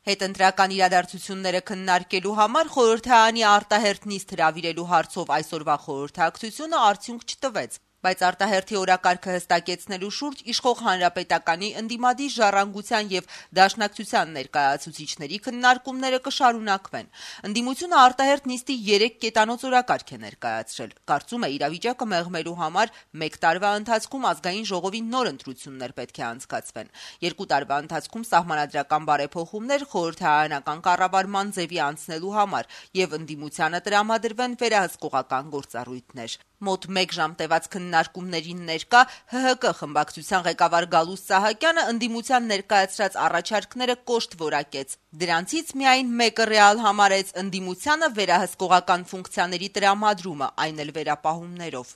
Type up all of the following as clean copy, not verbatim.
Հետընտրական իրադարձությունները քննարկելու համար խորհրդարանի արտահերթ նիստ հրավիրելու հարցով այսօրվա խորհրդակցությունը արդյունք չտվեց, բայց արտահերթի օրակարգը հստակեցնելու շուրջ իշխող հանրապետականի ընդդիմադիր ժառանգության եւ դաշնակցության ներկայացուցիչների քննարկումները կշարունակվեն։ Ընդդիմությունը արտահերթ նիստի 3 կետանոց օրակարգ է ներկայացրել։ Կարծում է իրավիճակը մեղմելու համար 1 տարվա ընթացքում ազգային ժողովի նոր ընտրություններ պետք է անցկացվեն։ 2 տարվա ընթացքում սահմանադրական բարեփոխումներ խորհրդարանական կառավարման ձևի անցնելու համար եւ ընդդիմությանը տրամադրվեն վերահսկողական գործառույթներ։ Մոտ 1 ժամ տևած քննարկումներին ներկա ՀՀԿ խմբակցության ղեկավար Գալուստ Սահակյանը ընդդիմության ներկայացրած առաջարկները կոշտ որակեց։ Դրանցից միայն մեկը ռեալ համարեց ընդդիմությանը վերահսկողական ֆունկցիաների տրամադրումը, այն էլ վերապահումներով։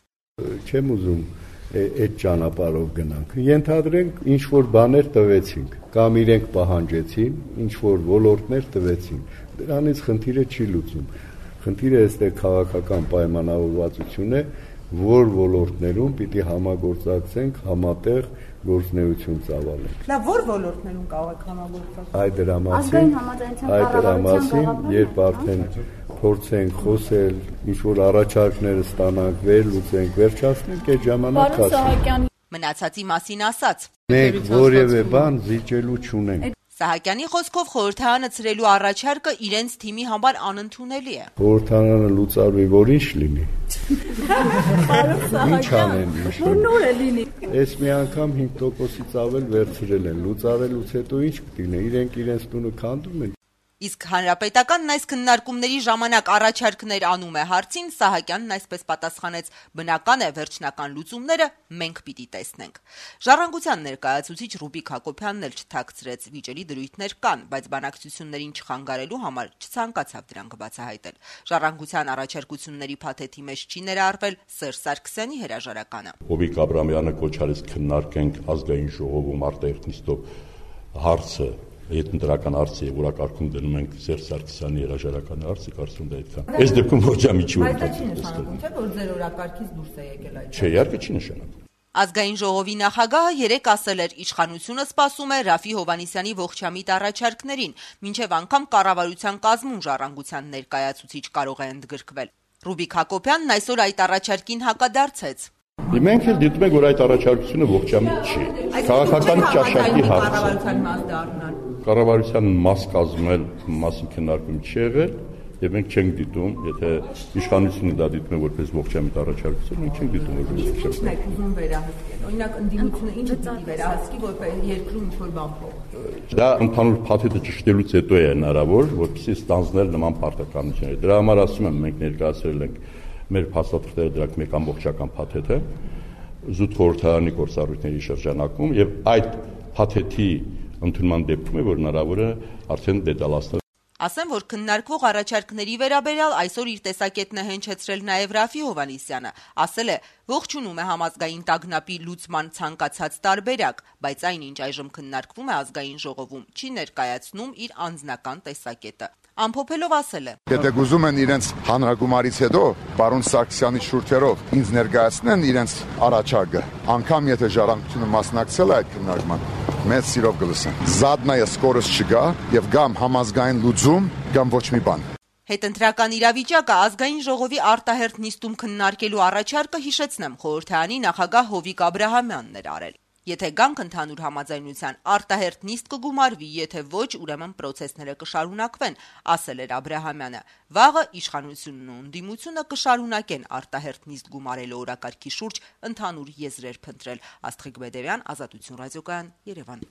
Չեմ ուզում այդ ճանապարհով գնանք։ Ենթադրենք ինչ որ բաներ տվեցինք, կամ իրենք պահանջեցին, ինչ որ ոլորտներ տվեցին։ Դրանից խնդիրը չի լուծում։ Խնդիրը այստեղ քաղաքական պայմանավորվածություն է, որ ոլորտներում պիտի համագործակցենք, համատեղ գործունեություն ծավալենք։ Լավ, որ ոլորտներում կարող եք համագործակցել։ Այդ դրամասին, երբ արդեն փորձենք խոսել, ինչ որ առաջարկներ ստանանք, վերլուծենք, վերջացնենք, այդ ժամանակ ասենք։ Մնացածի մասին ասաց. Մենք որևէ բան զիջելու չունենք։ Սահակյանի խոսքով խորհրդարանը ցրելու առաջարկը իրենց թիմի համար անընդունելի է։ Խորհրդարանը լուծարվի, որ ինչ լինի։ Ինչ անեն, որ նոր է լինի։ Այս մի անգամ 5%-ից ավել վերցրել են, լուծարելուց հետո ինչ կլինի, իրենք իրենց տունը քանդում են։ Իսկ հանրապետականն այս քննարկումների ժամանակ առաջարկներ անում է հարցին, Սահակյանն այսպես պատասխանեց. բնական է, վերջնական լուծումները մենք պիտի տեսնենք։ Ժառանգության ներկայացուցիչ Ռուբիկ Հակոբյանն էլ չթաքցրեց, վիճելի դրույթներ կան, բայց բանակցություններին չխանգարելու համար չցանկացավ դրանք բացահայտել։ Ժառանգության առաջարկությունների փաթեթի մեջ չի ներառվել Սերժ Սարգսյանի հրաժարականը։ Հովիկ Աբրամյանը կոչ արեց քննարկենք ազգային ժողովում արտահերթ նիստով հարցը Հետընտրական հարցը եւ օրակարգում դնում ենք Սերժ Սարգսյանի հրաժարականի հարցը, կարծում եմ այդքան։ Այս դեպքում ոչ մի չի Բայց դա չի նշանակում, թե որ ձեր օրակարգից դուրս է եկել այդ։ Չէ, իհարկե չի նշանակում։ Ազգային ժողովի նախագահը 3 ասել էր, իշխանությունը սպասում է Ռաֆի Հովհաննիսյանի ողջամիտ առաջարկներին, մինչև անգամ կառավարության կազմում ժառանգության ներկայացուցիչ կարող է ընդգրկվել։ Ռուբիկ Հակոբյանն այսօր այդ առաջարկին հակադարձեց։ Մենք էլ դիտում ենք, որ այդ առաջարկությունը ողջամիտ չի։ Քաղաքական ճաշակի հարց է։ Կառավարության մաս կազմել մասի քննարկում չի եղել, եւ մենք չենք դիտում, եթե իշխանությունը դա դիտում է որպես ողջամիտ առաջարկություն, մենք չենք դիտում որպես ողջամիտ։ Ինչ եք ուզում վերահսկել։ Օրինակ ընդդիմությունը ինչ պիտի վերահսկի, որպես երկրում ինչ որ բան փոխվի։ Դա ընդհանուր փաթեթը ճշտելուց հետո է հնարավոր, որպեսզի ստանձնել նման պարտականություններ։ Դրա համար ասում եմ, մենք ներկայացրել ենք մեր փաստաթղթերը դրանք մեկ ամբողջական փաթեթ է զուտ խորհրդարանի գործառույթների շրջանակում եւ այդ փաթեթի ընդունման դեպքում է որ հնարավոր է արդեն դետալացնել։ Ասեմ, որ քննարկվող առաջարկների վերաբերյալ այսօր իր տեսակետն է հնչեցրել նաև Ռաֆի Հովհաննիսյանը, ասել է, ողջունում է համազգային տագնապի լուծման ցանկացած տարբերակ, բայց այն, ինչ այժմ քննարկվում է ազգային ժողովում, չի ներկայացնում իր անձնական տեսակետը։ Ամփոփելով ասել է. Եթե գուզում են իրենց հանրագումարից հետո պարոն Սարգսյանի շուրթերով ինձ ներկայացնեն իրենց առաջարկը, անգամ եթե ժառանգությունը մասնակցել է այդ քննարկման, մեծ սիրով կլսեն։ Զադնայը սկորս չգա եւ գամ համազգային լուծում, գամ ոչ մի բան։ Հետընտրական իրավիճակը ազգային ժողովի արտահերթ նիստում քննարկելու առաջարկը հիշեցնեմ խորհրդարանի նախագահ Հովիկ Աբրահամյանն էր արել։ Եթե գանք ընդհանուր համաձայնության արտահերթ նիստ կգումարվի, եթե ոչ, ուրեմն պրոցեսները կշարունակվեն, ասել էր Աբրահամյանը։ Վաղը իշխանությունն ու ընդդիմությունը կշարունակեն արտահերթ նիստ գումարելու օրակարգի շուրջ ընդհանուր եզրեր փնտրել։ Աստղիկ Բեդերյան, Ազատություն ռադիոկայան, Երևան։